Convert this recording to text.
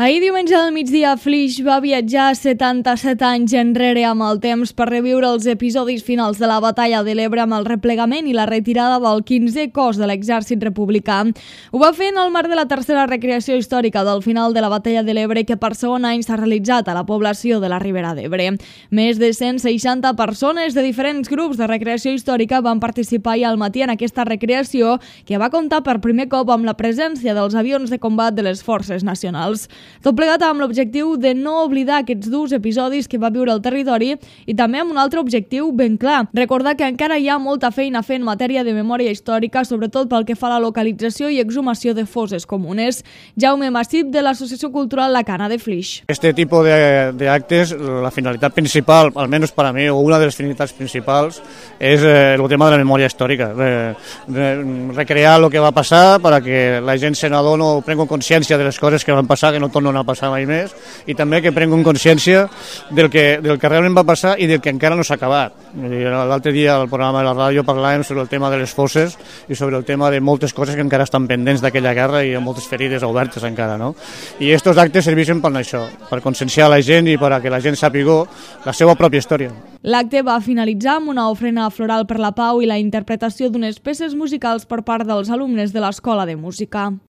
Ahir diumenge al migdia, Flix va viatjar 77 anys enrere amb el temps per reviure els episodis finals de la batalla de l'Ebre amb el replegament i la retirada del 15è cos de l'exèrcit republicà. Ho va fer en el marc de la tercera recreació històrica del final de la batalla de l'Ebre que per segon any s'ha realitzat a la població de la Ribera d'Ebre. Més de 160 persones de diferents grups de recreació històrica van participar ahir al matí en aquesta recreació que va comptar per primer cop amb la presència dels avions de combat de les forces nacionals. Tot plegat amb l'objectiu de no oblidar aquests durs episodis que va viure el territori i també amb un altre objectiu ben clar, recordar que encara hi ha molta feina a fer en matèria de memòria històrica, sobretot pel que fa a la localització i exhumació de fosses comunes. Jaume Massip, de l'Associació Cultural La Cana de Flix. Este tipo de actes, la finalitat principal, almenys per a mi, o una de les finalitats principals, és el tema de la memòria històrica. Recrear el que va passar perquè la gent se n'adona o prenga consciència de les coses que van passar, que no tornen a passar mai més, i també que prenguin consciència del que realment va passar i del que encara no s'ha acabat. L'altre dia al programa de la ràdio parlàvem sobre el tema de les fosses i sobre el tema de moltes coses que encara estan pendents d'aquella guerra i moltes ferides obertes encara, no? I aquests actes serveixen per això, per conscienciar la gent i per a que la gent sàpiga la seva pròpia història. L'acte va finalitzar amb una ofrena floral per la pau i la interpretació d'unes peces musicals per part dels alumnes de l'Escola de Música.